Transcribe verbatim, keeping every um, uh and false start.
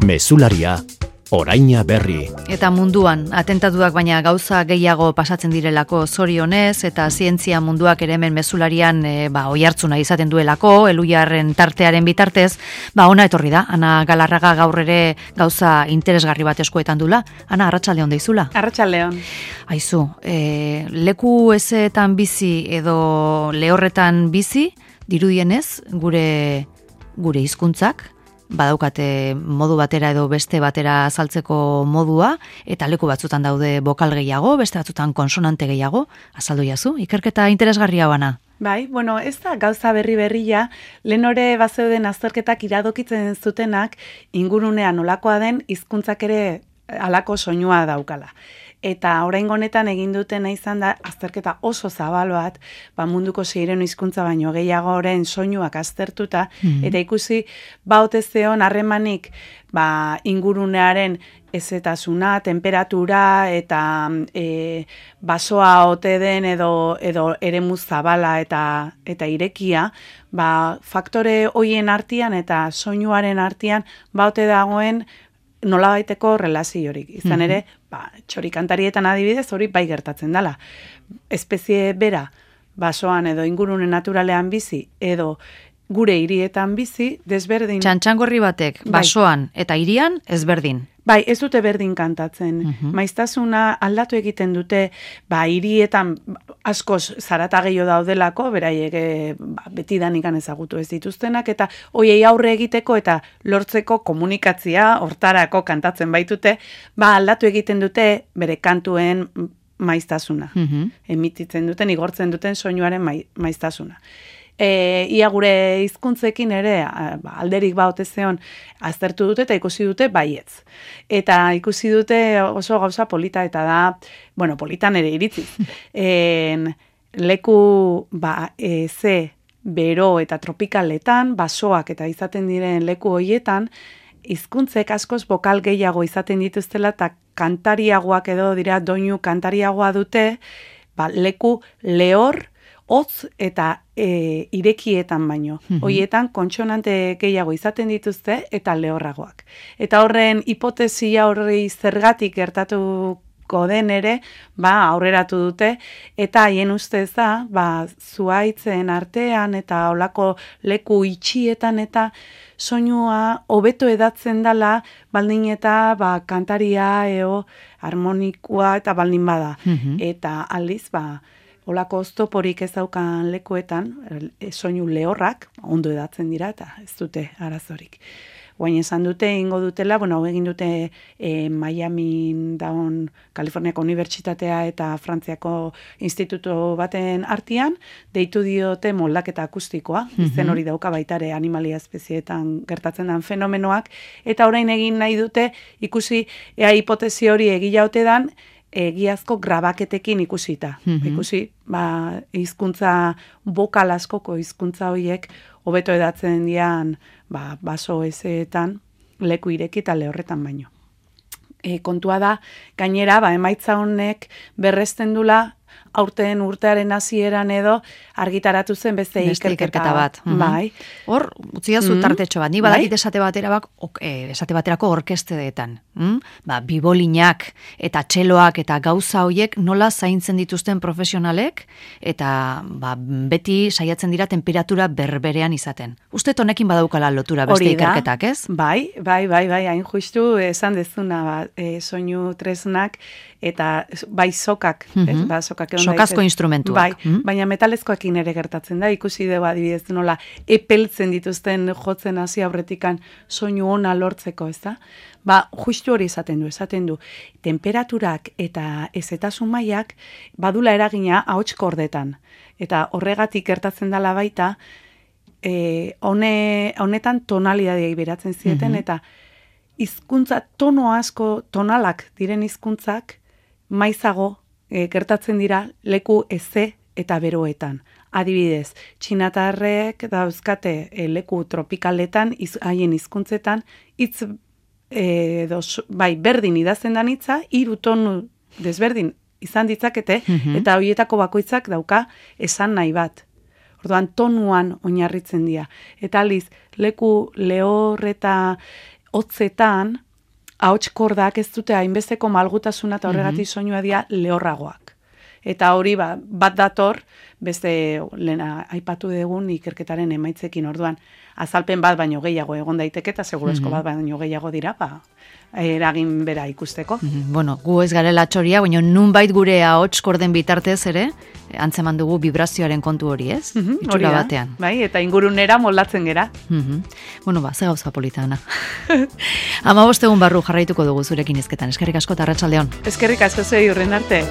Mezularia, oraina berri. Eta munduan, atentatuak baina gauza gehiago pasatzen direlako zorionez, eta zientzia munduak ere hemen mezularian e, ba, oihartzuna izaten duelako, Elujarren tartearen bitartez, ba ona etorri da, Ana Galarraga gaur ere gauza interesgarri bat eskuetan dula. Ana, arratsaldeon deizula. Arratsaldeon. Aizu, e, leku ezeetan bizi edo lehorretan bizi, dirudienez, gure, gure hizkuntzak, badaukate modu batera edo beste batera azaltzeko modua, eta leku batzutan daude bokal gehiago, beste batzutan konsonante gehiago, azaldu jazu, ikerketa interesgarria bana. Bai, bueno, ez da gauza berri berria, lehen ore bazeuden azterketak iradokitzen zutenak ingurunean olakoa den hizkuntzak ere halako soinua daukala. Eta oraingo honetan egin dutena izan da azterketa oso zabal bat, ba munduko seiehun hizkuntza baino gehiagoren soinuak aztertuta, mm-hmm. eta ikusi ba ote zeon harremanik ba ingurunearen ezetasuna, temperatura eta e, basoa ote den edo edo eremu zabala eta eta irekia, ba faktore hoien artean eta soinuaren artean ba ote dagoen nolabaiteko relaziorik. Izan ere, ba, txorikantarietan adibidez, hori bai gertatzen dela. Espezie bera, basoan edo ingurune naturalean bizi, edo gure hirietan bizi, desberdin. Txantxangorri batek, basoan eta hirian, ezberdin. Bai, ez dute berdin kantatzen. Uh-huh. Maiztasuna aldatu egiten dute, ba, hirietan askoz zarata gehiago daudelako, beraiek e, ba, betidanik ezagutu ez dituztenak, eta hoiei aurre egiteko eta lortzeko komunikatzia, hortarako kantatzen baitute, ba, aldatu egiten dute bere kantuen maiztasuna. Uh-huh. Emititzen duten, igortzen duten soinuaren mai, maiztasuna. E, ia gure hizkuntzekin ere ba, alderik ba ote zeon aztertu dute eta ikusi dute baietz. Eta ikusi dute oso gauza polita eta da, bueno, politan ere iritziz. En, leku ba, e, ze, bero eta tropikaletan, basoak eta izaten diren leku hoietan, hizkuntzek askoz bokal gehiago izaten dituztela eta kantariagoak edo dira doinu kantariagoa dute, ba, leku lehor, hotz eta e, irekietan baino. Mm-hmm. Hoietan kontsonante gehiago izaten dituzte eta lehorragoak. Eta horren hipotesia horri zergatik gertatuko den ere, ba, aurreratu dute, eta haien ustez da, ba, zuhaitzen artean eta olako leku itxietan eta soinua hobeto edatzen dela, baldin eta ba, kantaria eo harmonikua eta baldin bada. Mm-hmm. Eta aldiz, ba, olako oztoporik ez daukan lekuetan, soinu lehorrak, ondo edatzen dira eta ez dute arazorik. Guain esan dute, ingo dutela, bueno, hau egin dute e, Miami daun Kaliforniako Unibertsitatea eta Frantziako institutu baten artean, deitu diote moldaketa akustikoa, mm-hmm. izen hori dauka baitare animalia espezietan gertatzen den fenomenoak, eta orain egin nahi dute ikusi ea hipotesi hori egila ote dan, egiazko grabaketekin ikusita. Mm-hmm. Ikusi, ba, hizkuntza bokal askoko hizkuntza horiek hobeto edatzen dian ba, baso ezeetan leku ireki eta lehorretan baino. E, kontua da, gainera, ba, emaitza honek berresten dula aurten urtearen hasieran edo argitaratu zen beste ikerketa, ikerketa bat. Mm-hmm. Bai. Hor, utziazu mm-hmm. tartetxo bat. Ni badakit bai? esate batera bak, ok, esate baterako orkestedetan. Mm? Ba, bibolinak eta txeloak eta gauza hoiek nola zaintzen dituzten profesionalek eta ba, beti saiatzen dira temperatura berberean izaten. Uste honekin badaukala lotura beste ikerketak, ez? Bai, bai, bai, bai, hain justu esan dezuna ba, e, soinu tresnak eta bai sokak, mm-hmm. ez, ba, sokak sokazko instrumentuak. Bai, mm-hmm. baina metalezkoekin ere gertatzen da, ikusi dugu adibidez nola epeltzen dituzten jotzen hasi aurretikan soinu ona lortzeko, ez da? Ba, justu hori esaten du, esaten du, temperaturak eta ezetasun mailak badula eragina ahots kordetan. Eta horregatik gertatzen dela baita, e, hone, honetan tonalidadei beratzen zieten, mm-hmm. eta hizkuntza tono asko, tonalak diren hizkuntzak maizago e, gertatzen dira leku eze eta beroetan. Adibidez, txinatarrek dauzkate e, leku tropikaletan, iz, haien hizkuntzetan, hitz e, dos, bai, berdin idazten dan hitza, hiru tonu desberdin izan ditzakete, mm-hmm. eta horietako bakoitzak dauka esan nahi bat. Orduan tonuan oinarritzen dira. Eta aliz, leku lehor eta hotzetan, ahots kordak ez dute hainbesteko malgutasuna eta horregatik soinua dira lehorragoak. Eta hori ba, bat dator, beste lehena aipatu dugun ikerketaren emaitzekin orduan. Azalpen bat baino gehiago egon daiteke eta segurazko bat baino gehiago dira, ba, eragin bera ikusteko. Bueno, gu ez garela txoria, baina nunbait gure ahots korden bitartez ere, antzeman dugu vibrazioaren kontu hori, ez? Itxura batean. Bai, eta ingurunera moldatzen gera. Bueno, ba, ze gauza politana. Hamabost egun barru jarraituko dugu zurekin hizketan. Eskerrik asko eta arratsaldeon. Eskerrik asko zuei, urren arte.